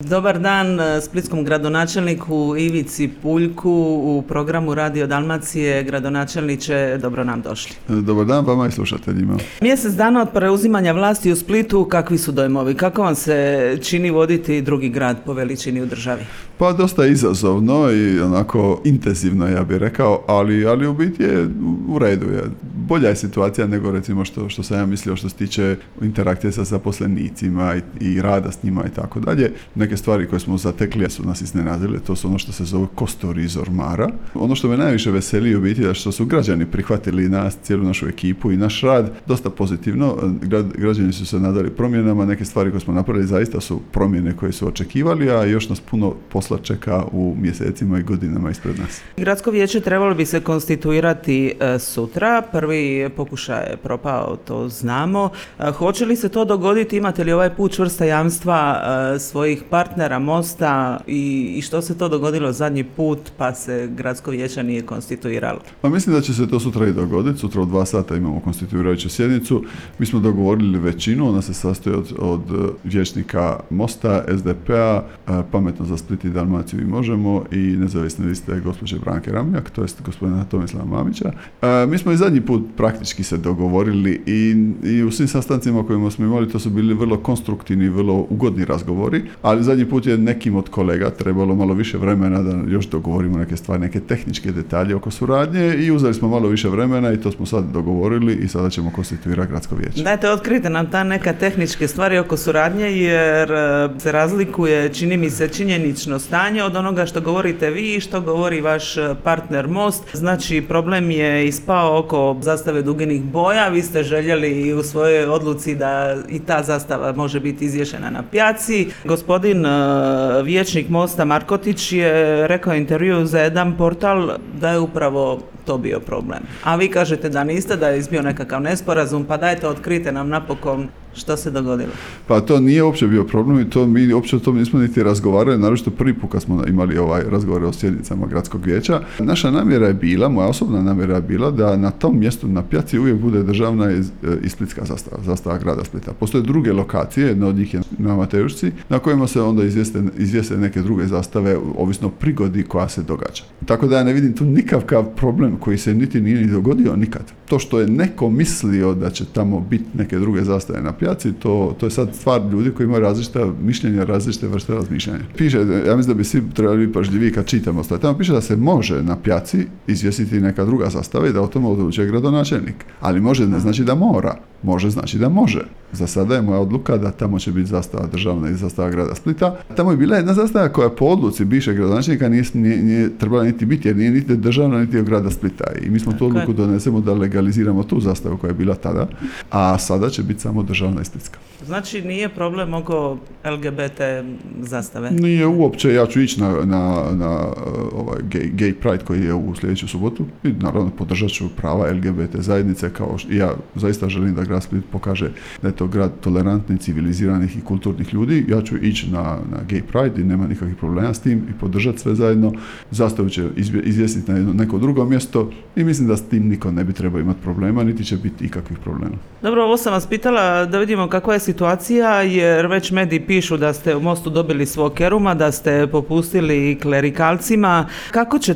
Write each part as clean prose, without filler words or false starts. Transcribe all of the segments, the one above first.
Dobar dan splitskom gradonačelniku Ivici Puljku u programu Radio Dalmacije. Gradonačelniče, dobro nam došli. Dobar dan vama i slušateljima. Mjesec dana od preuzimanja vlasti u Splitu, kakvi su dojmovi? Kako vam se čini voditi drugi grad po veličini u državi? Pa dosta izazovno i onako intenzivno, ja bih rekao, ali u biti je u redu. Bolja je situacija nego recimo što sam ja mislio što se tiče interakcije sa zaposlenicima i rada s njima i tako dalje. Neke stvari koje smo zatekli su nas iznenadile, to su ono što se zove kostur iz ormara. Ono što me najviše veseli u biti je što su građani prihvatili nas, cijelu našu ekipu i naš rad dosta pozitivno. Građani su se nadali promjenama, neke stvari koje smo napravili zaista su promjene koje su očekivali, a još nas puno posla čeka u mjesecima i godinama ispred nas. Gradsko vijeće trebalo bi se konstituirati sutra. Prvi pokušaj je propao, to znamo. Hoće li se to dogoditi? Imate li ovaj put čvrsta jamstva svojih partnera Mosta i što se to dogodilo zadnji put pa se gradsko vijeće nije konstituiralo? Pa mislim da će se to sutra i dogoditi. Sutra u 2 sata imamo konstituirajuću sjednicu. Mi smo dogovorili većinu, ona se sastoji od vijećnika Mosta, SDP-a, Pametno za Split i Dalmaciju i Možemo i nezavisne liste gospođe Branke Ramljak, to jest gospodina Tomislava Mamića. Mi smo i zadnji put praktički se dogovorili i u svim sastancima kojima smo imali to su bili vrlo konstruktivni i vrlo ugodni razgovori, ali zadnji put je nekim od kolega trebalo malo više vremena da još dogovorimo neke stvari, neke tehničke detalje oko suradnje i uzeli smo malo više vremena i to smo sad dogovorili i sada ćemo konstituirati gradsko vijeće. Dajte, otkrite nam ta neka tehničke stvari oko suradnje jer se razlikuje, čini mi se, činjenično stanje od onoga što govorite vi i što govori vaš partner Most. Znači, problem je ispao oko zastave duginih boja, vi ste željeli u svojoj odluci da i ta zastava može biti izvješena na pijaci. Gospodin vijećnik Mosta Markotić je rekao intervju za jedan portal da je upravo to bio problem. A vi kažete da niste, da je izbio nekakav nesporazum, pa dajte, otkrite nam napokon što se dogodilo. Pa to nije uopće bio problem i mi uopće o tom nismo niti razgovarali, naročito prvi put kad smo imali razgovore o sjednicama gradskog vijeća. Naša namjera je bila, moja osobna namjera je bila da na tom mjestu na pijaci uvijek bude državna i splitska zastava grada Splita. Postoje druge lokacije, jedna od njih je na Mateušci, na kojima se onda izvijeste neke druge zastave, ovisno o prigodi koja se događa. Tako da ja ne vidim tu nikakav problem koji se niti nije ni dogodio nikad. To što je neko mislio da će tamo biti neke druge zastave na pijaci, to je sad stvar ljudi koji imaju različita mišljenja, različite vrste razmišljanja. Piše, ja mislim da bi svi trebali biti pažljivi kad čitamo stvari. Tamo piše da se može na pijaci izvjesiti neka druga zastava i da o tome odlučuje gradonačelnik. Ali može ne znači da mora. Može znači da može. Za sada je moja odluka da tamo će biti zastava državna i zastava grada Splita. Tamo je bila jedna zastava koja po odluci bivšeg gradonačelnika nije trebala niti biti, jer nije niti državna niti od grada Splita. I mi smo tu odluku donesemo da legaliziramo tu zastavu koja je bila tada, a sada će biti samo državna i splitska. Znači nije problem oko LGBT zastave? Nije uopće, ja ću ići na ovaj gay pride koji je u sljedeću subotu i naravno podržat ću prava LGBT zajednice, kao ja zaista želim da grad Split pokaže da je to grad tolerantnih, civiliziranih i kulturnih ljudi. Ja ću ići na gay pride i nema nikakvih problema s tim i podržati sve zajedno. Zastavu će izvjesiti na neko drugo mjesto i mislim da s tim niko ne bi trebao imati problema, niti će biti ikakvih problema. Dobro, ovo sam vas pitala da vidimo kakva je situacija, jer već mediji pišu da ste u Mostu dobili svog Keruma, da ste popustili klerikalcima. Kako će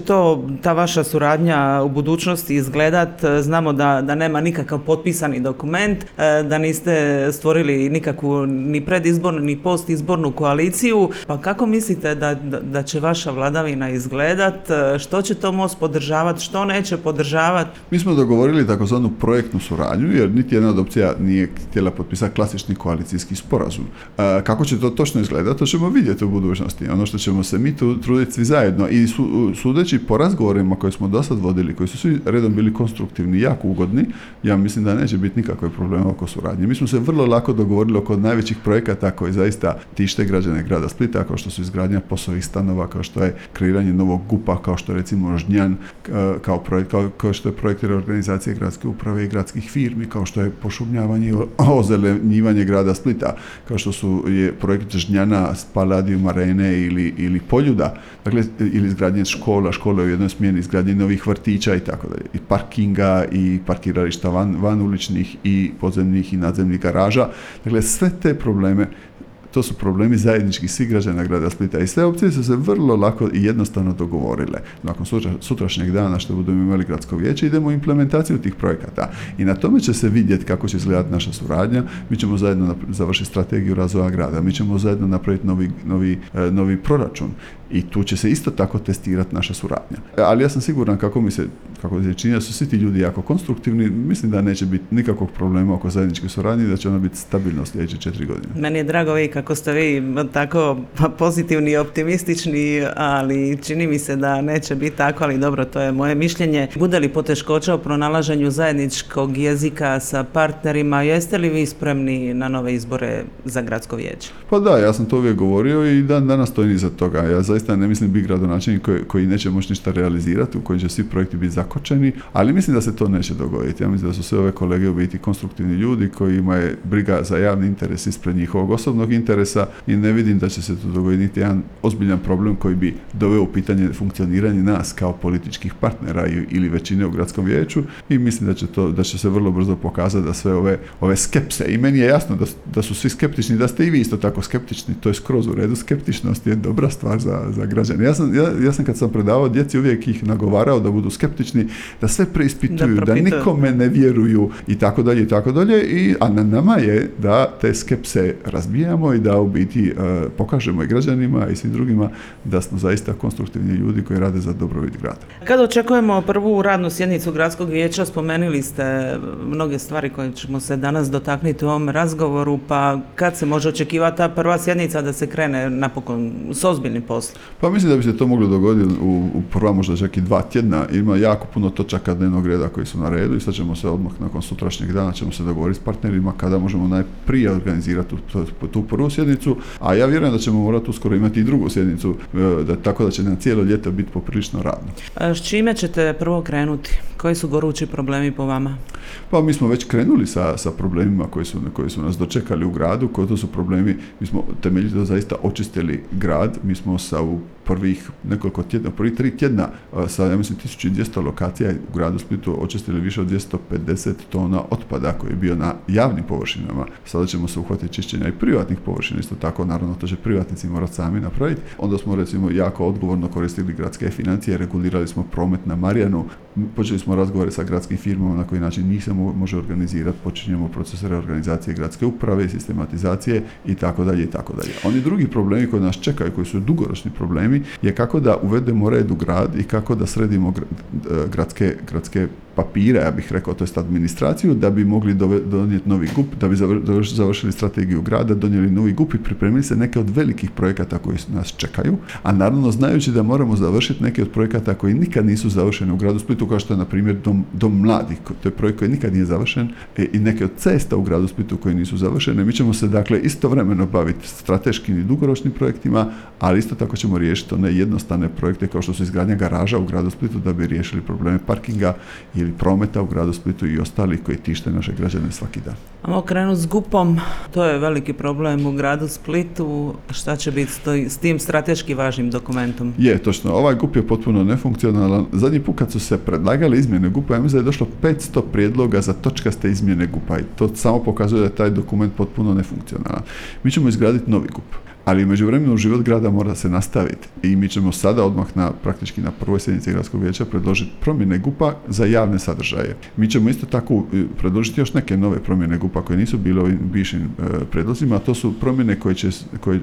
ta vaša suradnja u budućnosti izgledat? Znamo da nema nikakav potpisani dokument, da niste stvorili nikakvu ni predizbornu ni postizbornu koaliciju. Pa kako mislite da će vaša vladavina izgledat? Što će to Most podržavati, što neće podržavati? Mi smo dogovorili takozvanu projektnu suradnju, jer niti jedna od opcija nije htjela potpisati klasični koalicijski sporazum. Kako će to točno izgledati, to ćemo vidjeti u budućnosti. Ono što ćemo se mi tu truditi svi zajedno i sudeći po razgovorima koje smo do sad vodili, koji su svi redom bili konstruktivni i jako ugodni, ja mislim da neće biti nikakve problema oko suradnje. Mi smo se vrlo lako dogovorili oko najvećih projekata koji zaista tište građane grada Splita, kao što su izgradnja POS-ovih stanova, kao što je kreiranje novog GUP-a, kao što je recimo Žnjan, kao što je projekt reorganizacije gradske uprave i gradskih firmi, kao što je pošumljavanje i ozelenjivanje grada Splita, kao što je projekt Žnjana, Palladium Arene ili Poljuda, dakle, ili izgradnje škole u jednoj smjeni, izgradnje novih vrtića i tako dalje, i parkinga i parkirališta van uličnih i podzemnih i nadzemnih garaža. Dakle, sve te probleme to su problemi zajednički svih građana grada Splita i sve opcije su se vrlo lako i jednostavno dogovorile. Nakon sutrašnjeg dana što budemo imali gradsko vijeće, idemo u implementaciju tih projekata i na tome će se vidjeti kako će izgledati naša suradnja. Mi ćemo zajedno završiti strategiju razvoja grada, mi ćemo zajedno napraviti novi proračun i tu će se isto tako testirati naša suradnja. Ali ja sam siguran kako se čini da su svi ti ljudi jako konstruktivni, mislim da neće biti nikakvog problema oko zajedničke suradnje i da će ona biti stabilno sljedeće 4 godine. Meni je drago kako ste vi tako pozitivni i optimistični, ali čini mi se da neće biti tako, ali dobro, to je moje mišljenje. Bude li poteškoća u pronalaženju zajedničkog jezika sa partnerima, jeste li vi spremni na nove izbore za gradsko vijeće? Pa da, ja sam to uvijek govorio i danas stojim iza toga. Ja zaista ne mislim biti gradonačelnik koji neće moći ništa realizirati, u kojem će svi projekti biti zakočeni, ali mislim da se to neće dogoditi. Ja mislim da su sve ove kolege u biti konstruktivni ljudi koji imaju briga za javni interes ispred njihovog osobnog interesa i ne vidim da će se to dogoditi jedan ozbiljan problem koji bi doveo u pitanje funkcioniranje nas kao političkih partnera ili većine u gradskom vijeću i mislim da će se vrlo brzo pokazati da sve ove skepse, i meni je jasno da su svi skeptični, da ste i vi isto tako skeptični, to je skroz u redu, skeptičnost je dobra stvar za građane. Ja sam kad sam predavao djeci uvijek ih nagovarao da budu skeptični, da sve preispituju, da nikome ne vjeruju i tako dalje, a na nama je da te skepse razbijamo i da u biti pokažemo i građanima i svim drugima da smo zaista konstruktivni ljudi koji rade za dobrobit grada. Kad očekujemo prvu radnu sjednicu gradskog vijeća, spomenuli ste mnoge stvari koje ćemo se danas dotaknuti u ovom razgovoru, pa kad se može očekivati ta prva sjednica da se krene napokon s ozbiljnim poslom? Pa mislim da bi se to moglo dogoditi u prva možda čak i 2 tjedna. Ima jako puno točaka dnevnog reda koji su na redu i sad ćemo se odmah nakon sutrašnjeg dana ćemo se dogovoriti s partnerima kada možemo najprije organizirati tu prvu sjednicu, a ja vjerujem da ćemo morati uskoro imati i drugu sjednicu, tako da će nam cijelo ljeto biti poprilično radno. S čime ćete prvo krenuti? Koji su gorući problemi po vama? Pa mi smo već krenuli sa problemima koji su nas dočekali u gradu, to su problemi, mi smo temeljito zaista očistili grad, mi smo u prvih nekoliko tjedna, prvih 3 tjedna sa, ja mislim, 1200 lokacija u gradu Splitu očistili više od 250 tona otpada koji je bio na javnim površinama. Sada ćemo se uhvatiti čišćenja i privatnih površina, isto tako, naravno, to će privatnici morati sami napraviti. Onda smo, recimo, jako odgovorno koristili gradske financije, regulirali smo promet na Marijanu, počeli smo razgovore sa gradskim firmama na koji način njih se može organizirati, počinjemo proces reorganizacije gradske uprave, sistematizacije i tako dalje. Oni drugi problemi koji nas čekaju, koji su dugoročni problemi, je kako da uvedemo red u grad i kako da sredimo gradske papire, ja bih rekao, to jest administraciju, da bi mogli donijeti novi GUP, da bi završili strategiju grada, donijeli novi GUP i pripremili se neke od velikih projekata koji nas čekaju, a naravno znajući da moramo završiti neke od projekata koji nikad nisu završeni u gradu Splitu, kao što je na primjer dom mladih, to je projekt koji nikad nije završen, i neke od cesta u gradu Splitu koji nisu završene. Mi ćemo se dakle istovremeno baviti strateškim i dugoročnim projektima, ali isto tako ćemo riješiti one jednostavne projekte kao što su izgradnja garaža u gradu Splitu da bi riješili probleme parkinga ili prometa u gradu Splitu i ostali koji tište naše građane svaki dan. Ajmo krenuti s GUP-om, to je veliki problem u gradu Splitu. Šta će biti s tim strateški važnim dokumentom? Je, točno, ovaj GUP je potpuno nefunkcionalan. Zadnji put kad su se predlagali izmjene GUP-a, ja mislim da je došlo 500 prijedloga za točkaste izmjene GUP-a i to samo pokazuje da je taj dokument potpuno nefunkcionalan. Mi ćemo izgraditi novi GUP. Ali u međuvremenu život grada mora se nastaviti i mi ćemo sada odmah praktički na prvoj sjednici gradskog vijeća predložiti promjene GUP-a za javne sadržaje. Mi ćemo isto tako predložiti još neke nove promjene GUP-a koje nisu bile ovim bivšim predlozima, a to su promjene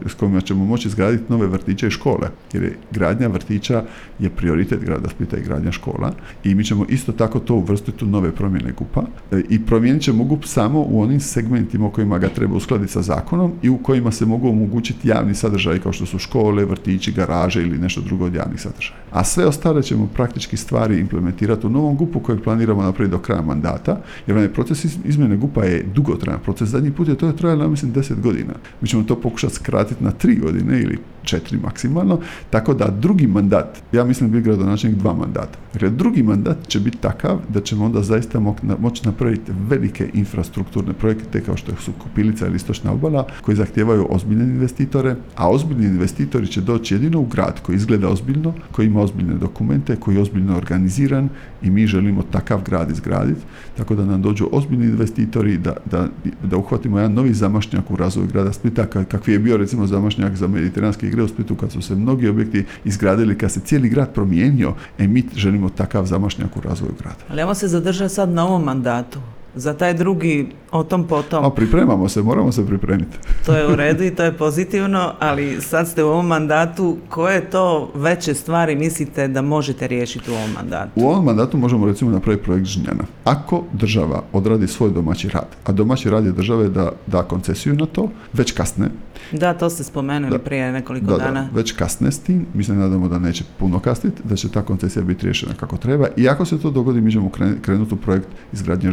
s kojima ćemo moći izgraditi nove vrtiće i škole, jer je gradnja vrtića je prioritet grada Splita i gradnja škola i mi ćemo isto tako to uvrstiti u nove promjene GUP-a i promijenit ćemo GUP samo u onim segmentima u kojima ga treba uskladiti sa zakonom i u kojima se mogu omogućiti javni sadržaj kao što su škole, vrtići, garaže ili nešto drugo od javnih sadržaja. A sve ostale ćemo praktički stvari implementirati u novom GUP-u kojeg planiramo napraviti do kraja mandata, jer onaj proces izmjene GUP-a je dugotrajan proces. Zadnji put je to trajalo, mislim, 10 godina. Mi ćemo to pokušati skratiti na 3 godine ili 4 maksimalno, tako da drugi mandat, ja mislim da bi gradonačelnik 2 mandata. Dakle, drugi mandat će biti takav da ćemo onda zaista moći napraviti velike infrastrukturne projekte kao što su Kupilica ili Istočna obala, koji zahtijevaju ozbiljne investitore, a ozbiljni investitori će doći jedino u grad koji izgleda ozbiljno, koji ima ozbiljne dokumente, koji je ozbiljno organiziran i mi želimo takav grad izgraditi, tako da nam dođu ozbiljni investitori, da uhvatimo jedan novi zamašnjak u razvoju grada Splita, kakvi je bio recimo zamašnjak za mediteranske igre u Splitu, kad su se mnogi objekti izgradili, kad se cijeli grad promijenio, mi želimo takav zamašnjak u razvoju grada. Ali ajmo se zadržati sad na ovom mandatu. Za taj drugi, o tom potom. Pripremamo se, moramo se pripremiti. To je u redu i to je pozitivno, ali sad ste u ovom mandatu. Koje to veće stvari mislite da možete riješiti u ovom mandatu? U ovom mandatu možemo recimo napraviti projekt Žnjana. Ako država odradi svoj domaći rad, a domaći rad je države da da koncesiju na to, već kasne. Da, to ste spomenuli prije nekoliko dana. Već kasne s tim, mi se nadamo da neće puno kasniti, da će ta koncesija biti riješena kako treba i ako se to dogodi, mi ćemo krenuti u projekt izgradnje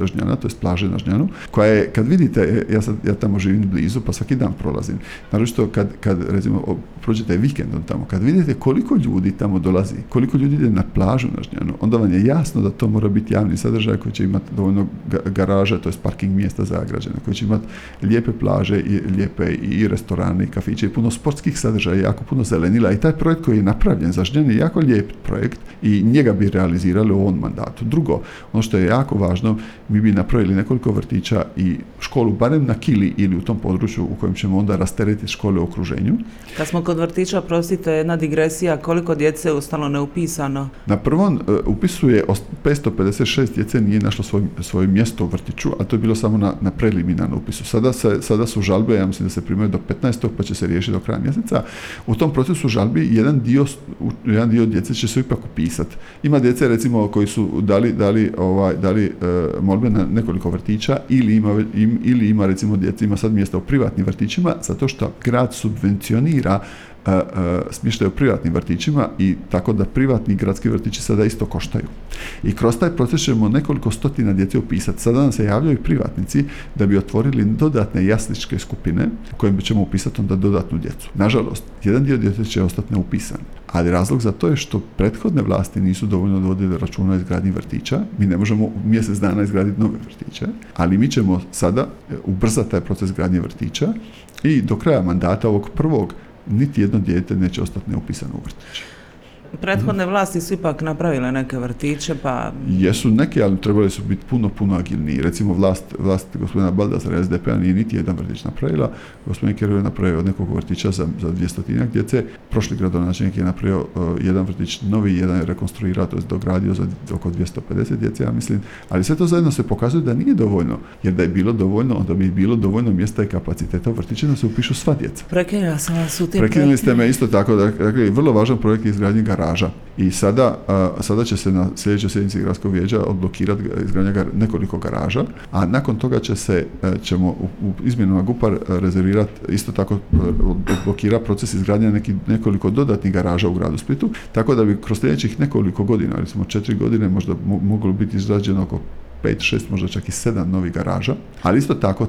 Žnjana, to je plaže na Žnjanu, koja je, kad vidite, ja tamo živim blizu, pa svaki dan prolazim. Naročito kad recimo prođete vikendom tamo, kad vidite koliko ljudi tamo dolazi, koliko ljudi ide na plažu na Žnjanu, onda vam je jasno da to mora biti javni sadržaj koji će imati dovoljno garaža, to je parking mjesta za građane, koji će imati lijepe plaže i lijepe i restorane i kafiće i puno sportskih sadržaja, jako puno zelenila i taj projekt koji je napravljen za Žnjan je jako lijep projekt i njega bi realizirali u ovom mandatu. Drugo, ono što je jako važno, mi bi napravili nekoliko vrtića i školu barem na Kili ili u tom području u kojem ćemo onda rasteretiti škole u okruženju. Kad smo kod vrtića, prostite, jedna digresija, koliko djece je ostalo neupisano? Na prvom upisu je 556 djece nije našlo svoje mjesto u vrtiću, a to je bilo samo na preliminarnom upisu. Sada su žalbe, ja mislim da se primaju do 15. pa će se riješiti do kraja mjeseca. U tom procesu žalbi jedan dio djece će se ipak upisati. Ima djece recimo koji su dali molbe na nekoliko vrtića ili ima recimo djece ima sad mjesta u privatnim vrtićima zato što grad subvencionira smještaj u privatnim vrtićima i tako da privatni gradski vrtići sada isto koštaju. I kroz taj proces ćemo nekoliko stotina djece upisati. Sada nam se javljaju privatnici da bi otvorili dodatne jasličke skupine u kojim ćemo upisati onda dodatnu djecu. Nažalost, jedan dio djece će ostati neupisan, ali razlog za to je što prethodne vlasti nisu dovoljno vodile računa o izgradnji vrtića. Mi ne možemo u mjesec dana izgraditi nove vrtiće, ali mi ćemo sada ubrzati taj proces gradnje vrtića i do kraja mandata ovog prvog niti jedno dijete neće ostati neupisano u vrtiće. Prethodne vlasti su ipak napravile neke vrtiće, pa... Jesu neke, ali trebali su biti puno agilniji. Recimo vlast gospodina Baldazara SDP-a nije niti jedan vrtić napravila. Gospodin Kerov je napravio od nekog vrtića za 200 djece. Prošli gradonačelnik je napravio jedan vrtić novi, jedan je rekonstruirao, to je dogradio za oko 250 djece, ja mislim. Ali sve to zajedno se pokazuje da nije dovoljno. Jer da je bilo dovoljno, onda bi bilo dovoljno mjesta i kapaciteta u vrtiću da se upišu sva djeca. Prekinula sam vas u tim Prekinuli ste me isto tako. Dakle, vrlo važan projekt je izgradnje garaža. I sada će se na sljedećoj sjednici gradskog vijeća odblokirati izgradnja nekoliko garaža, a nakon toga ćemo u izmjenama GUP-a rezervirati isto tako odblokirati proces izgradnja nekoliko dodatnih garaža u gradu Splitu, tako da bi kroz sljedećih nekoliko godina, recimo 4 godine, možda moglo biti izgrađeno oko 5, 6, možda čak i 7 novih garaža, ali isto tako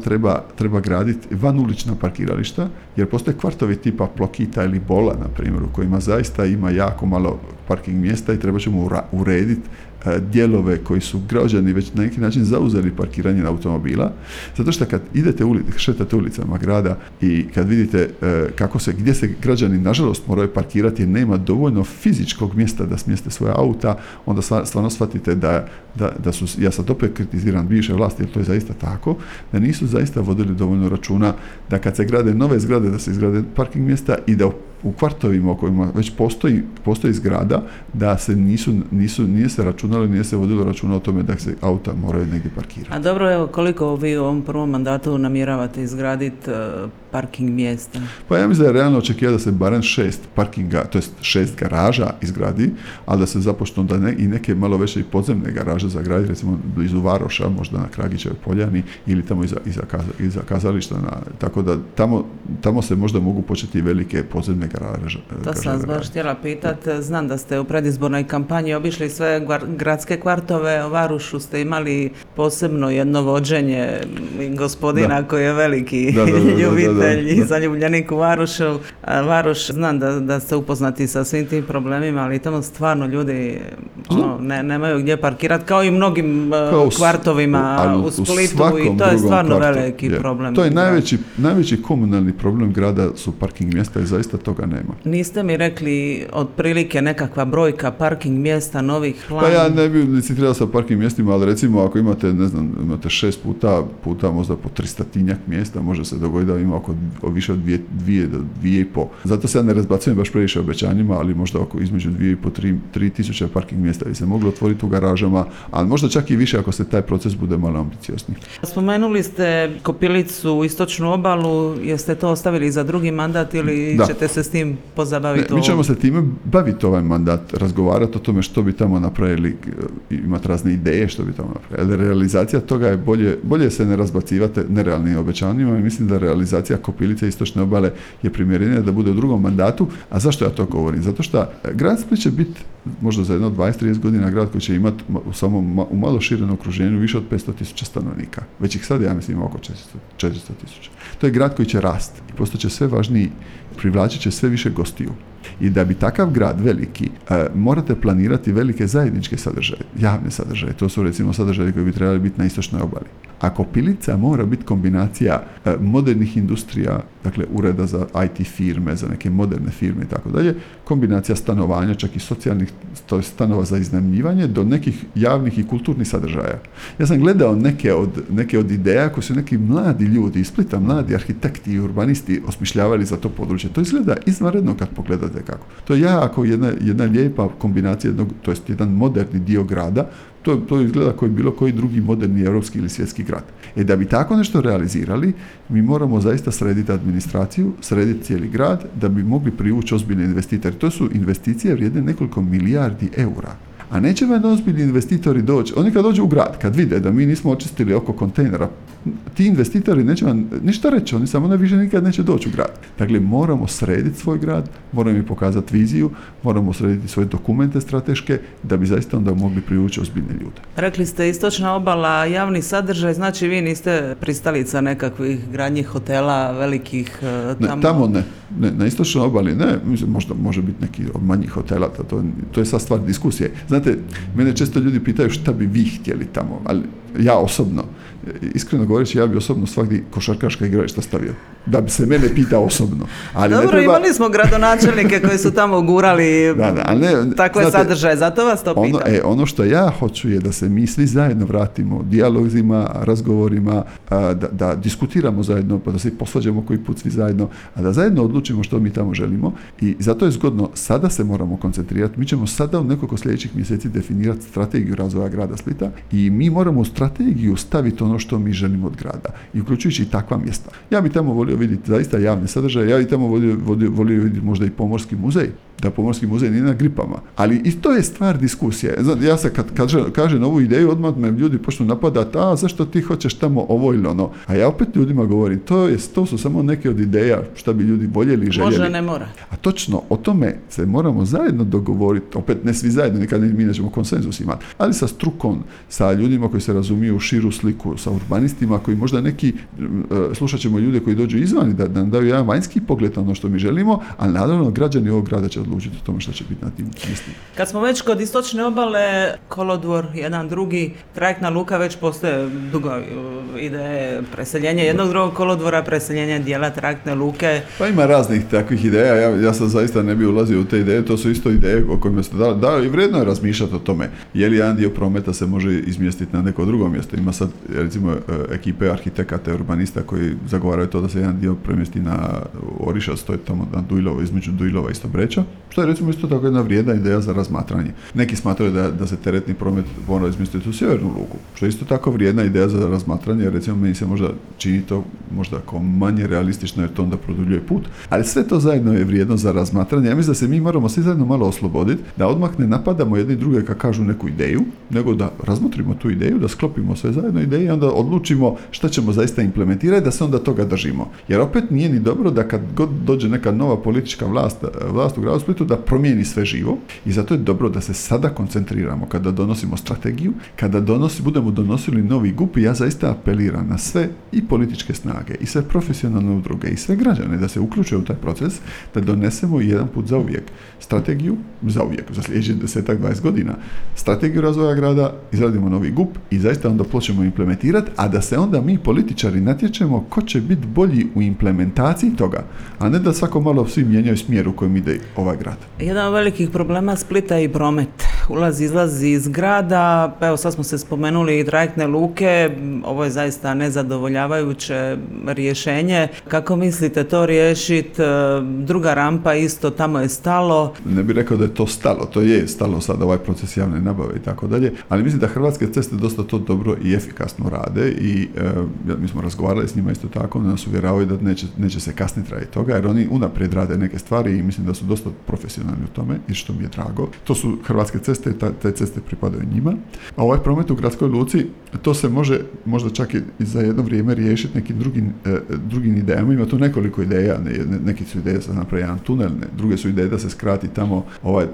treba graditi vanulična parkirališta, jer postoje kvartovi tipa Plokita ili Bola, na primjer, u kojima zaista ima jako malo parking mjesta i treba ćemo urediti dijelove koji su građani već na neki način zauzeli parkiranje automobila, zato što kad šetate ulicama grada i kad vidite gdje se građani nažalost moraju parkirati jer nema dovoljno fizičkog mjesta da smjeste svoja auta, onda stvarno shvatite da su, ja sad opet kritiziram bivše vlasti, jer to je zaista tako, da nisu zaista vodili dovoljno računa da kad se grade nove zgrade, da se izgrade parking mjesta i da u kvartovima u kojima već postoji zgrada, da se nije se računalo, nije se vodilo računa o tome da se auta moraju negdje parkirati. A dobro, evo, koliko vi u ovom prvom mandatu namjeravate izgraditi parking mjesta? Pa ja mislim da je realno očekivati da se barem 6 parkinga, to jest 6 garaža izgradi, ali da se započnu i neke malo veće i podzemne garaže zagraditi, recimo blizu Varoša, možda na Kragićevoj poljani ili tamo iza kazališta, tako da tamo se možda mogu početi velike podzemne garaže. To sam vas baš htjela pitati. Znam da ste u predizbornoj kampanji obišli sve gradske kvartove, u Varušu ste imali posebno jedno vođenje gospodina koji je veliki Da. ljubitelj i zaljubljenik u Varošu. Varoš, znam da ste upoznati sa svim tim problemima, ali tamo stvarno ljudi nemaju gdje parkirati, kao i u mnogim kvartovima u Splitu, i to je stvarno veliki problem. To je najveći komunalni problem grada su parking mjesta i zaista toga nema. Niste mi rekli otprilike nekakva brojka parking mjesta novih plan? Pa ja ne bih licitirao sa parking mjestima, ali recimo ako imate 6 puta možda po 300-tinjak mjesta, može se dogoditi da ima više od 2 do 2,5. Zato se ja ne razbacujem baš previše obećanjima, ali možda između 2,5-3 tisuće parking mjesta bi se moglo otvoriti u garažama, ali možda čak i više ako se taj proces bude malo ambiciozniji. Spomenuli ste Kopilicu, istočnu obalu, jeste to ostavili za drugi mandat ili ćete se s tim pozabaviti? Mi ćemo se time baviti ovaj mandat, razgovarati o tome što bi tamo napravili, imati razne ideje što bi tamo napravili. Realizacija toga je bolje se ne razbacivati nerealnim obećanjima i mislim da realizacija Kopilice istočne obale je primjerenija da bude u drugom mandatu. A zašto ja to govorim? Zato što grad Split će biti možda za jedno 20-30 godina grad koji će imati u malo širenom okruženju više od 500,000 stanovnika. Već ih sad ja mislim ima oko 400,000. To je grad koji će rasti i postaće sve važniji, privlačit će sve više gostiju. I da bi takav grad veliki, morate planirati velike zajedničke sadržaje, javne sadržaje. To su recimo sadržaje koji bi trebali biti na istočnoj obali. A Kopilica mora biti kombinacija modernih industrija, dakle ureda za IT firme, za neke moderne firme i tako dalje, kombinacija stanovanja, čak i socijalnih stanova za iznajmljivanje, do nekih javnih i kulturnih sadržaja. Ja sam gledao neke od ideja koje su neki mladi ljudi iz Splita, mladi arhitekti i urbanisti osmišljavali za to područje. To izgleda izvanredno kad pogledate kako. To je jako jedna lijepa kombinacija, to jest jedan moderni dio grada. To izgleda kao bilo koji drugi moderni europski ili svjetski grad. Da bi tako nešto realizirali, mi moramo zaista srediti administraciju, srediti cijeli grad, da bi mogli privući ozbiljne investitore. To su investicije vrijedne nekoliko milijardi eura. A neće vam ozbiljni investitori doći. Oni kad dođu u grad, kad vide da mi nismo očistili oko kontejnera, ti investitori neće vam ništa reći, oni samo više nikad neće doći u grad. Dakle, moramo srediti svoj grad, moramo im pokazati viziju, moramo srediti svoje dokumente strateške, da bi zaista onda mogli privući ozbiljne ljude. Rekli ste istočna obala, javni sadržaj, znači vi niste pristalica nekakvih gradnjih hotela, velikih tamo? Ne, tamo ne. Na istočnoj obali ne, možda može biti neki od manjih hotela, to je sad stvar diskusije. Znate, mene često ljudi pitaju šta bi vi htjeli tamo, ali ja osobno, iskreno govoreći, ja bi osobno svakdje košarkaška igrališta stavio. Da bi se mene pitao osobno. Ali dobro, imali smo gradonačelnike koji su tamo gurali takve sadržaje, zato vas to pitam. Ono što ja hoću je da se mi svi zajedno vratimo dijalozima, razgovorima, da diskutiramo zajedno, pa da se posvađamo koji put svi zajedno, a da zajedno odlučimo što mi tamo želimo. I zato je zgodno, sada se moramo koncentrirati. Mi ćemo sada u nekoliko sljedećih mjeseci definirati strategiju razvoja grada Splita i mi moramo u strategiju staviti ono što mi želimo od grada, i uključujući i takva mjesta. Ja bi tamo volio vidjeti zaista javne sadržaje, ja bi tamo volio vidjeti možda i pomorski muzej, da pomorski muzej nije na Gripama. Ali i to je stvar diskusije. Ja se kad kažem ovu ideju, odmah me ljudi počnu napadati, zašto ti hoćeš tamo ovo ili ono. A ja opet ljudima govorim, to su samo neke od ideja šta bi ljudi voljeli i željeli. Može, ne mora. A točno, o tome se moramo zajedno dogovoriti, opet ne svi zajedno, nikad mi nećemo konsenzus imati, ali sa strukom, sa ljudima koji se razumiju u širu sliku, sa urbanistima koji možda neki, slušat ćemo ljude koji dođu izvani da nam daju jedan vanjski pogled na ono što mi želimo, ali naravno građani ovog grada će odlučiti o tome što će biti na tim mjestima. Kad smo već kod istočne obale, kolodvor, jedan drugi, trajektna luka, već postoje dugo ideje, preseljenje jednog drugog kolodvora, preseljenje dijela trajektne luke. Pa ima raznih takvih ideja, ja sam zaista ne bi ulazio u te ideje, to su isto ideje o kojima ste dali i vrijedno je razmišljati o tome, je li jedan dio prometa se može izmjestiti na neko drugo mjesto. Ima sad recimo ekipe arhitekata i urbanista koji zagovaraju to da se jedan dio premjesti na Orišac, to je tamo na Dujlovo, između Dujlova i Stobreča, što je recimo isto tako jedna vrijedna ideja za razmatranje. Neki smatraju da se teretni promet mora izmjestiti u sjevernu luku, što je isto tako vrijedna ideja za razmatranje, jer recimo meni se možda čini to možda kao manje realistično jer to onda produljuje put, ali sve to zajedno je vrijedno za razmatranje. Ja mislim da se mi moramo svi zajedno malo osloboditi, da odmah ne napadamo jedni druge kad kažu neku ideju, nego da razmotrimo tu ideju, da sklopimo sve zajedno ideje i onda odlučimo šta ćemo zaista implementirati, da se onda toga držimo. Jer opet nije ni dobro da kad god dođe neka nova politička vlast u gradu Splitu da promijeni sve živo i zato je dobro da se sada koncentriramo kada donosimo strategiju, kada budemo donosili novi GUP i ja zaista apeliram na sve i političke snage i sve profesionalne udruge i sve građane da se uključe u taj proces, da donesemo jedan put zauvijek strategiju, za sljedećih 10-20 godina, strategiju razvoja grada, izradimo novi GUP i zaista onda počnemo implementirati, a da se onda mi političari natječemo ko će biti bolji u implementaciji toga, a ne da svako malo svi mijenjaju smjer u kojem ide ovaj grad. Jedan od velikih problema Splita je i promet. Izlazi iz grada, pa evo sad smo se spomenuli i trajektne luke, ovo je zaista nezadovoljavajuće rješenje. Kako mislite to riješiti? Druga rampa isto, tamo je stalo. Ne bih rekao da je to stalo, to je stalo sad ovaj proces javne nabave i tako dalje, ali mislim da Hrvatske ceste dosta to dobro i efikasno rade i mi smo razgovarali s njima isto tako, nas uvjeravaju da neće se kasniti radi toga, jer oni unaprijed rade neke stvari i mislim da su dosta profesionalni u tome i što mi je drago. To su Hrvatske ceste i te ceste pripadaju njima. A ovaj promet u gradskoj luci, to se može možda čak i za jedno vrijeme riješiti nekim drugim idejama. Ima tu nekoliko ideja, neki su ideje da se napravi jedan tunel, druge su ideje da se skrati tamo,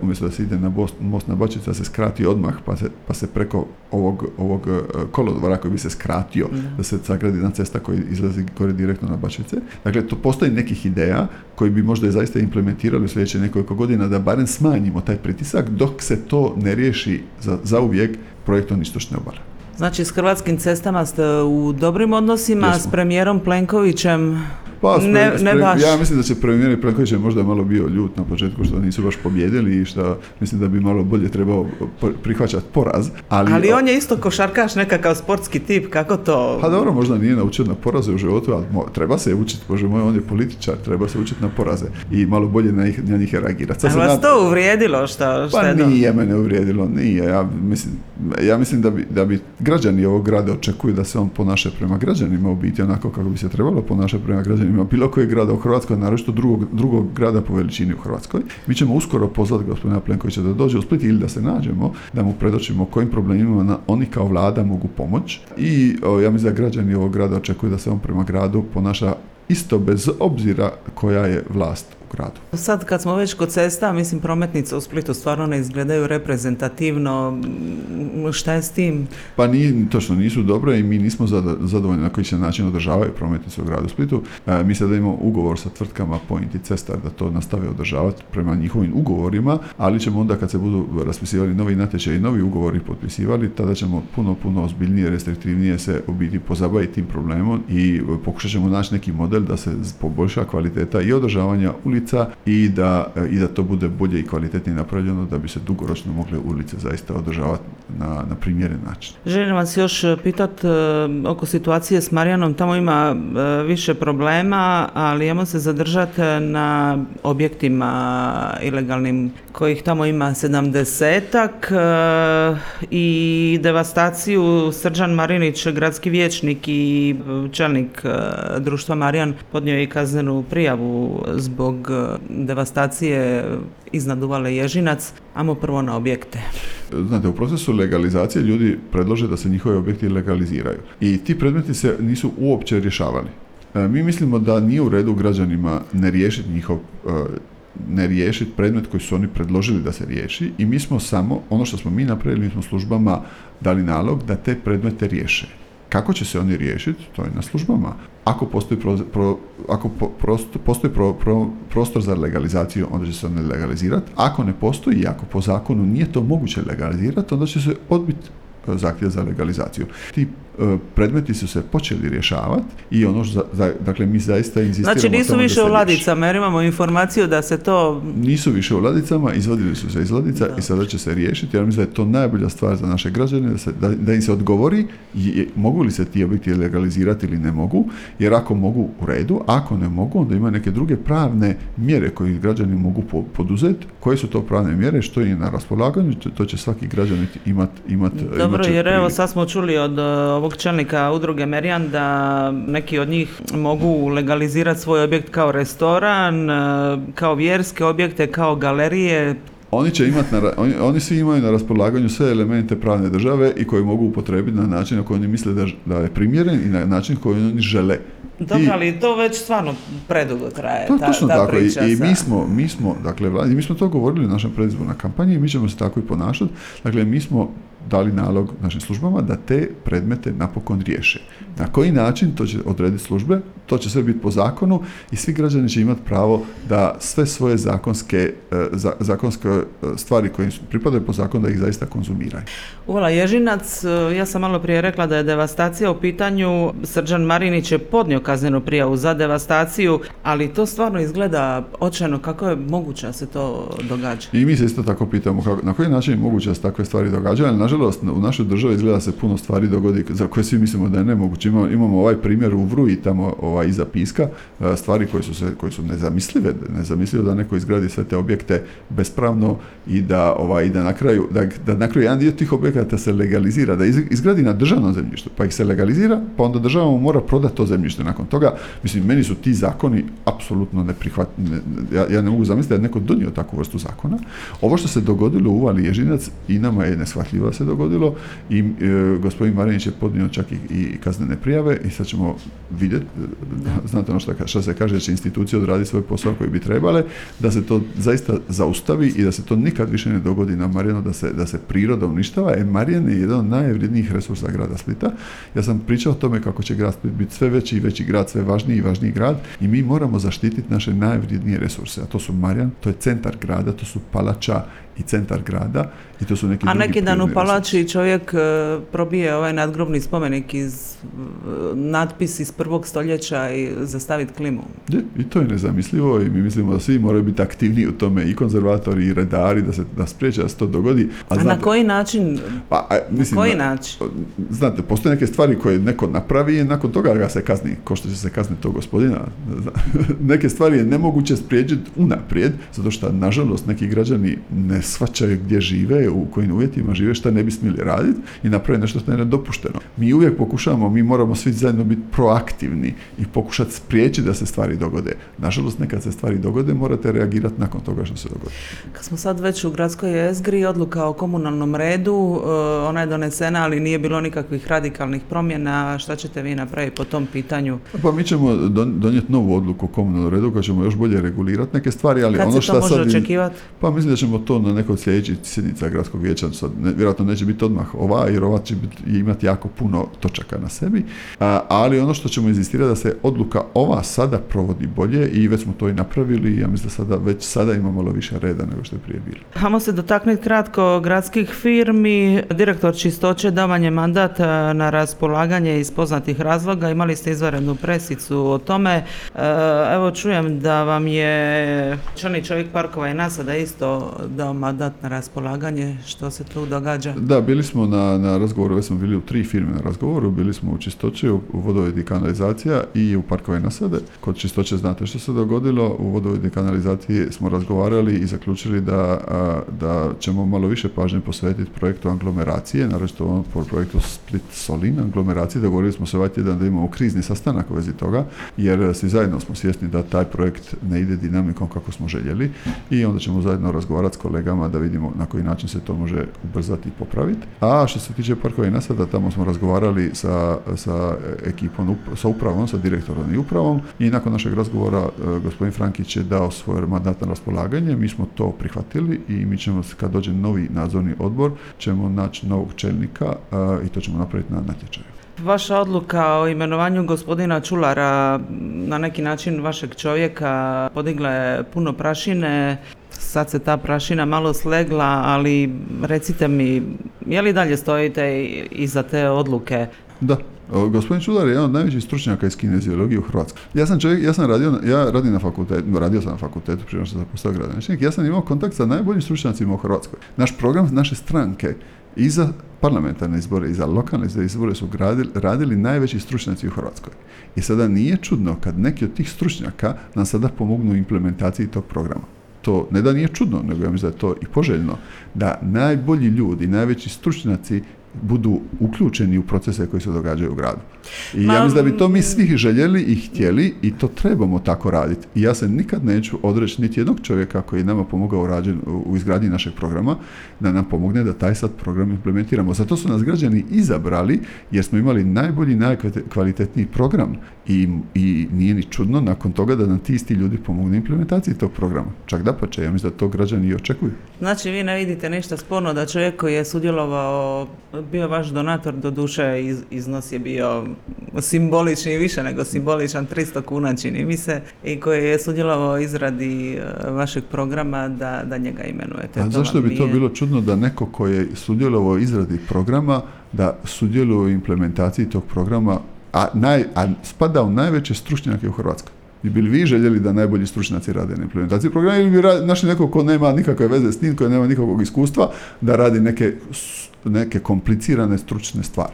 umjesto da se ide na most na Bačvici, da se skrati odmah, pa se preko ovog kolodvora koji bi se skratio, da se sagradi jedna cesta koja izlazi gore direktno na Bačvice. Dakle, to postoji nekih ideja koji bi možda i zaista implementirali u sljedeće nekoliko godina da barem smanjimo taj pritisak dok se to ne riješi zauvijek projektom istočne obale. Znači, s Hrvatskim cestama ste u dobrim odnosima, jesmo. S premijerom Plenkovićem ne baš. Ja mislim da će premijer Plenković možda malo bio ljut na početku što nisu baš pobijedili i što mislim da bi malo bolje trebao prihvaćati poraz. Ali on je isto košarkaš, nekakav sportski tip, kako to? Pa dobro, možda nije naučio na poraze u životu, ali treba se učiti, bože moj, on je političar, treba se učiti na poraze i malo bolje na njih reagirati. Ali vas to uvrijedilo? Pa nije mene uvrijedilo, nije. Ja mislim da bi građani ovog grada očekuju da se on ponaša prema građanima u biti onako kako bi se trebalo ponašati prema građanima bilo kojeg grada u Hrvatskoj, naročito drugog grada po veličini u Hrvatskoj. Mi ćemo uskoro pozvati gospodina Plenkovića da dođe u Split ili da se nađemo, da mu predočimo kojim problemima oni kao vlada mogu pomoći i ja mislim da građani ovog grada očekuju da se on prema gradu ponaša isto bez obzira koja je vlast u gradu. Sad kad smo već kod cesta, mislim prometnice u Splitu stvarno ne izgledaju reprezentativno. Šta je s tim? Pa točno nisu dobre i mi nismo zadovoljni na koji će način održavaju prometnice u gradu Splitu. Mi sada imamo ugovor sa tvrtkama Point i Cestar da to nastave održavati prema njihovim ugovorima, ali ćemo onda kad se budu raspisivali novi natječaj i novi ugovori potpisivali, tada ćemo puno ozbiljnije, restriktivnije se u biti pozabaviti tim problemom i pokušat ćemo naći neki model da se poboljša kvaliteta i održavanja ulica i da to bude bolje i kvalitetnije napravljeno da bi se dugoročno mogle ulice zaista održavati na primjeren način. Želim vas još pitati oko situacije s Marijanom. Tamo ima više problema, ali ajmo se zadržati na objektima ilegalnim kojih tamo ima 70-ak i devastaciju. Srđan Marinić, gradski vijećnik i čelnik društva Marijan, podnio je i kaznenu prijavu zbog devastacije iznad uvale Ježinac. Ajmo prvo na objekte. Znate, u procesu legalizacije ljudi predlože da se njihovi objekti legaliziraju i ti predmeti se nisu uopće rješavali. Mi mislimo da nije u redu građanima ne riješiti predmet koji su oni predložili da se riješi i mi smo samo, ono što smo mi napravili, mi smo službama dali nalog da te predmete riješe. Kako će se oni riješiti, to je na službama. Ako postoji prostor za legalizaciju, onda će se oni legalizirati. Ako ne postoji i ako po zakonu nije to moguće legalizirati, onda će se odbiti zahtjev za legalizaciju. Ti predmeti su se počeli rješavati i dakle mi zaista inzistiramo. Znači nisu više u ladicama, jer imamo informaciju da se to... Nisu više u ladicama, izvadili su se iz ladica i sada će se riješiti, jer mislim da je to najbolja stvar za naše građane, da im se odgovori mogu li se ti objekti legalizirati ili ne mogu, jer ako mogu u redu, ako ne mogu, onda ima neke druge pravne mjere koje građani mogu poduzeti. Koje su to pravne mjere, što je na raspolaganju, to će svaki građanin imati. Dobro, jer evo sad smo čuli od ovog čelnika udruge Merijan da neki od njih mogu legalizirati svoj objekt kao restoran, kao vjerske objekte, kao galerije. Oni svi imaju na raspolaganju sve elemente pravne države i koje mogu upotrijebiti na način na koji oni misle da je primjeren i na način koji oni žele Dobro, ali to već stvarno predugo traje, To je točno ta tako. priča. I mi smo to govorili u našoj predizbornoj kampanji i mi ćemo se tako i ponašati. Dakle, mi smo dali nalog našim službama da te predmete napokon riješe. Na koji način, to će odrediti službe, to će sve biti po zakonu i svi građani će imati pravo da sve svoje zakonske stvari koje im pripadaju po zakonu da ih zaista konzumiraju. Uvala Ježinac, ja sam malo prije rekla da je devastacija u pitanju. Srđan Marinić je podnio kaznenu prijavu za devastaciju, ali to stvarno izgleda očajno. Kako je moguće da se to događa? I mi se isto tako pitamo na koji način je moguće da se takve stvari događaju, ali nažalost u našoj državi izgleda se puno stvari dogodi za koje svi mislimo da je nemoguće. Imamo ovaj primjer u Vruji tamo iza Piska, stvari koje su nezamislive da neko izgradi sve te objekte bespravno i da na kraju jedan dio tih objekata se legalizira, da izgradi na državnom zemljištu, pa ih se legalizira, pa onda država mu mora prodati to zemljište nakon toga. Mislim, meni su ti zakoni apsolutno neprihvatljivi. Ja ne mogu zamisliti da je neko donio takvu vrstu zakona. Ovo što se dogodilo u Uvali Ježinac i nama je neshvatljivo se dogodilo i gospodin Marinić je podnio čak i kaznene prijave i sad ćemo vidjeti, znate ono što se kaže, da će institucije odraditi svoj posao koji bi trebale, da se to zaista zaustavi i da se to nikad više ne dogodi na Marjanu, da se priroda uništava. Marjan je jedan od najvrijednijih resursa grada Splita. Ja sam pričao o tome kako će grad Split biti sve veći i veći grad, sve važniji i važniji grad i mi moramo zaštititi naše najvrijednije resurse, a to su Marjan, to je centar grada, to su Palača i centar grada i to su neki drugi. A neki dan u Palači čovjek probije ovaj nadgrobni spomenik natpis iz 1. stoljeća i zastaviti klimu. I to je nezamislivo i mi mislimo da svi moraju biti aktivniji u tome, i konzervatori i redari, da spriječe da se to dogodi. A na koji način? Znate, postoje neke stvari koje neko napravi i nakon toga ga se kazni, ko što će se kazniti tog gospodina. Neke stvari je nemoguće spriječiti unaprijed, zato što nažalost neki građani ne shvaćaju gdje žive, u kojim uvjetima žive, šta ne bi smjeli raditi i napraviti nešto što je nedopušteno. Mi uvijek pokušavamo, mi moramo svi zajedno biti proaktivni i pokušati spriječiti da se stvari dogode. Nažalost, nekad se stvari dogode, morate reagirati nakon toga što se dogodi. Kad smo sad već u gradskoj jezgri, odluka o komunalnom redu, ona je donesena, ali nije bilo nikakvih radikalnih promjena. Šta ćete vi napraviti po tom pitanju? Pa mi ćemo donijeti novu odluku o komunalnom redu koja ćemo još bolje regulirati neke stvari, ali kad ono što može očekivati? Pa mislim da ćemo to na nekoj sljedećih sjednica gradskog vijeća, vjerojatno neće biti odmah jer ova će imati jako puno točaka na sebi, ali ono što ćemo inzistirati da se odluka ova sada provodi bolje i već smo to i napravili i ja mislim da već sada ima malo više reda nego što je prije bilo. Hajmo se dotaknuti kratko gradskih firmi. Direktor Čistoće davan je mandat na raspolaganje iz poznatih razloga. Imali ste izvanrednu presicu o tome. Evo čujem da vam je čovjek parkova i nasada isto dao mandat na raspolaganje. Što se tu događa? Da, bili smo na razgovoru, već smo bili u 3 firme na razgovoru, bili smo u Čistoći, u vodovod i kanalizacija i u parkove i nasade. Kod Čistoće znate što se dogodilo, u vodovod i kanalizaciji smo razgovarali i zaključili da ćemo malo više pažnje posvetiti projektu aglomeracije, naročito ovom projektu Split Solin aglomeracije. Dogovorili smo se ovaj tjedan da imamo krizni sastanak u vezi toga, jer svi zajedno smo svjesni da taj projekt ne ide dinamikom kako smo željeli i onda ćemo zajedno razgovarati s kolegama da vidimo na koji način se to može ubrzati i popraviti. A što se tiče parkova i nasada, tamo smo razgovarali sa ekipom, sa upravom, sa direktorom i upravom i nakon našeg razgovora gospodin Frankić je dao svoj mandat na raspolaganje, mi smo to prihvatili i mi ćemo, kad dođe novi nadzorni odbor, ćemo naći novog čelnika i to ćemo napraviti na natječaju. Vaša odluka o imenovanju gospodina Čulara, na neki način vašeg čovjeka, podigla je puno prašine. Sad se ta prašina malo slegla, ali recite mi, je li dalje stojite iza te odluke? Da. Gospodin Čular je jedan od najvećih stručnjaka iz kineziologije u Hrvatskoj. Radio sam na fakultetu prije što sam postao gradonačelnik. Ja sam imao kontakt sa najboljim stručnjacima u Hrvatskoj. Naš program naše stranke i za parlamentarne izbore i za lokalne izbore su radili najveći stručnjaci u Hrvatskoj. I sada nije čudno kad neki od tih stručnjaka nam sada pomognu u implementaciji tog programa. To ne da nije čudno, nego ja mislim da je to i poželjno, da najbolji ljudi, najveći stručnjaci budu uključeni u procese koji se događaju u gradu. I ja mislim da bi to mi svi željeli i htjeli i to trebamo tako raditi. I ja se nikad neću odreći niti jednog čovjeka koji je nama pomogao u izgradnji našeg programa, da nam pomogne da taj sad program implementiramo. Zato su nas građani izabrali jer smo imali najbolji, najkvalitetniji program i nije ni čudno nakon toga da nam ti isti ljudi pomognu implementaciji tog programa. Čak dapače, ja mislim da to građani i očekuju. Znači vi ne vidite ništa sporno da čovjek koji je sudjelovao, bio vaš donator, do duše iznos je bio simbolični i više nego simboličan, 300 kuna čini mi se, i koji je sudjelovao u izradi vašeg programa da njega imenujete. A zašto bi to bilo čudno da neko koji je sudjelovao u izradi programa, da sudjeluje u implementaciji tog programa, a spada u najveće stručnjake u Hrvatskoj? I bi li vi željeli da najbolji stručnjaci rade na implementaciji programa ili bi našli nekog ko nema nikakve veze s tim, koji nema nikakvog iskustva da radi neke komplicirane stručne stvari?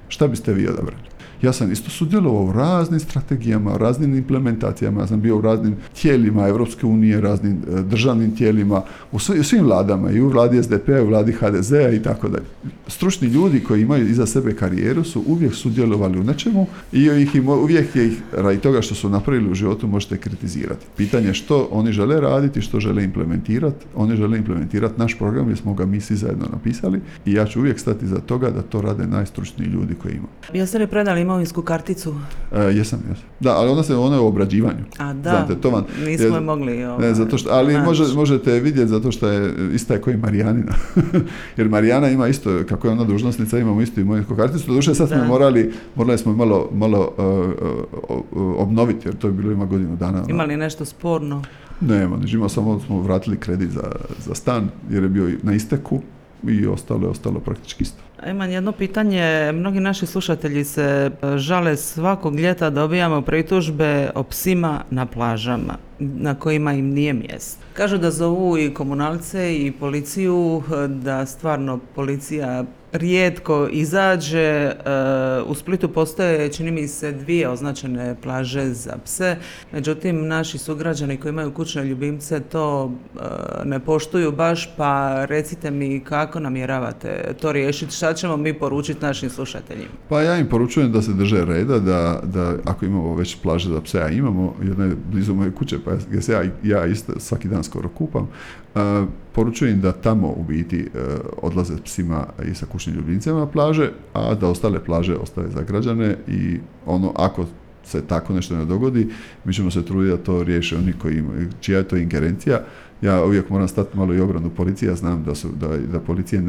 Šta biste vi odabrali? Ja sam isto sudjelovao u raznim strategijama, u raznim implementacijama, ja sam bio u raznim tijelima Europske unije, raznim državnim tijelima, u svim vladama, i u vladi SDP-a, i u vladi HDZ-a i tako dalje. Stručni ljudi koji imaju iza sebe karijeru su uvijek sudjelovali u nečemu i uvijek je ih, radi toga što su napravili u životu, možete kritizirati. Pitanje je što oni žele raditi, što žele implementirati. Oni žele implementirati naš program jer smo ga mi svi zajedno napisali i ja ću uvijek stati za toga da to rade najstručniji ljudi koji imaju. Jeste li predali imovinsku karticu? Jesam. Da, ali ona je u obrađivanju. A da, znate, to vam, nismo je mogli... Ne, zato što, ali možete vidjeti zato što je ista je koji Marijanina. Jer Marijana ima isto, kako je ona dužnosnica, imamo istu imovinsku karticu. Doduše sad smo morali smo malo obnoviti, jer to je bilo ima godinu dana. Ima li nešto sporno? Nema, samo smo vratili kredit za stan, jer je bio na isteku i ostalo praktički isto. Imam jedno pitanje. Mnogi naši slušatelji se žale svakog ljeta, dobijamo pritužbe o psima na plažama na kojima im nije mjesto. Kažu da zovu i komunalce i policiju, da stvarno policija rijetko izađe. U Splitu postoje, čini mi se, 2 označene plaže za pse. Međutim, naši sugrađani koji imaju kućne ljubimce to ne poštuju baš, pa recite mi kako namjeravate to riješiti, šta ćemo mi poručiti našim slušateljima? Pa ja im poručujem da se drže reda, da ako imamo već plaže za pse, a imamo, jedna je blizu moje kuće, pa ja isto svaki dan skoro kupam, poručujem da tamo u biti odlaze psima i sa kućnim ljubimcima na plaže, a da ostale plaže ostave za građane i ako se tako nešto ne dogodi, mi ćemo se truditi da to riješe oni čija je to ingerencija. Ja uvijek moram stati malo i obranu policije, ja znam da policije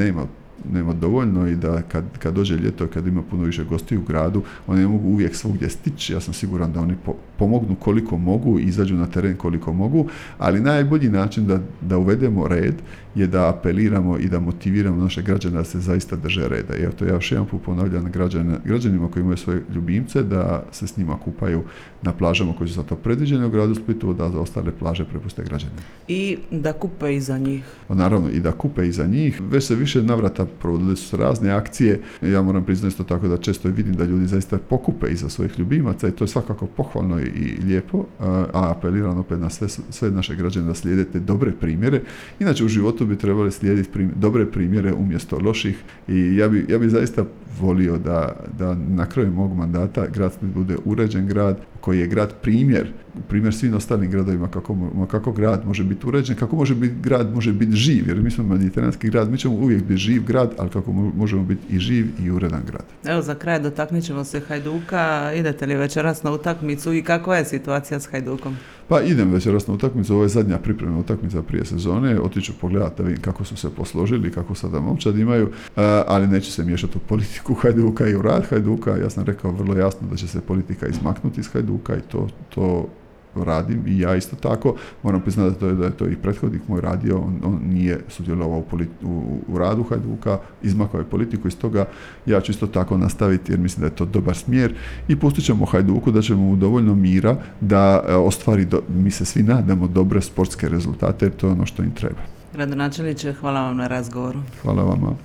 nema dovoljno i da kad dođe ljeto, kad ima puno više gostiju u gradu, oni ne mogu uvijek svugdje stići. Ja sam siguran da oni pomognu koliko mogu, izađu na teren koliko mogu, ali najbolji način da uvedemo red je da apeliramo i da motiviramo naše građane da se zaista drže reda. I to ja još jedan put ponavljam građanima koji imaju svoje ljubimce da se s njima kupaju na plažama koje su za to predviđene u gradu Splitu, da za ostale plaže prepuste građanima. I da kupe iza njih. Naravno, i da kupe iza njih. Već se više navrata provodile su razne akcije. Ja moram priznati isto tako da često vidim da ljudi zaista pokupe iza svojih ljubimaca i to je svakako pohvalno i lijepo, a apeliram opet na sve naše građane da slijedite dobre primjere. Inače u životu bi trebali slijediti dobre primjere umjesto loših i ja bi zaista volio da na kraju mog mandata grad Split bude uređen grad koji je grad primjer svim ostalim gradovima kako grad može biti uređen, kako grad može biti živ, jer mi smo mediteranski grad, mi ćemo uvijek biti živ grad, ali kako možemo biti i živ i uredan grad. Evo za kraj dotaknut ćemo se Hajduka, idete li večeras na utakmicu i kakva je situacija s Hajdukom? Pa idem večeras na utakmicu, ovo je zadnja pripremna utakmica prije sezone, otiću pogledati da vidim kako su se posložili, kako sada momčad imaju, ali neću se miješati u politiku Hajduka i u rad Hajduka. Ja sam rekao vrlo jasno da će se politika izmaknuti iz Hajduka i to radim i ja isto tako. Moram priznati da je to i prethodnik moj radio, on nije sudjelovao u radu Hajduka, izmakao je politiku, iz toga ja ću isto tako nastaviti jer mislim da je to dobar smjer i pustit ćemo Hajduku, da ćemo mu dovoljno mira da ostvari, mi se svi nadamo, dobre sportske rezultate jer to je ono što im treba. Gradonačelniče, hvala vam na razgovoru. Hvala vama.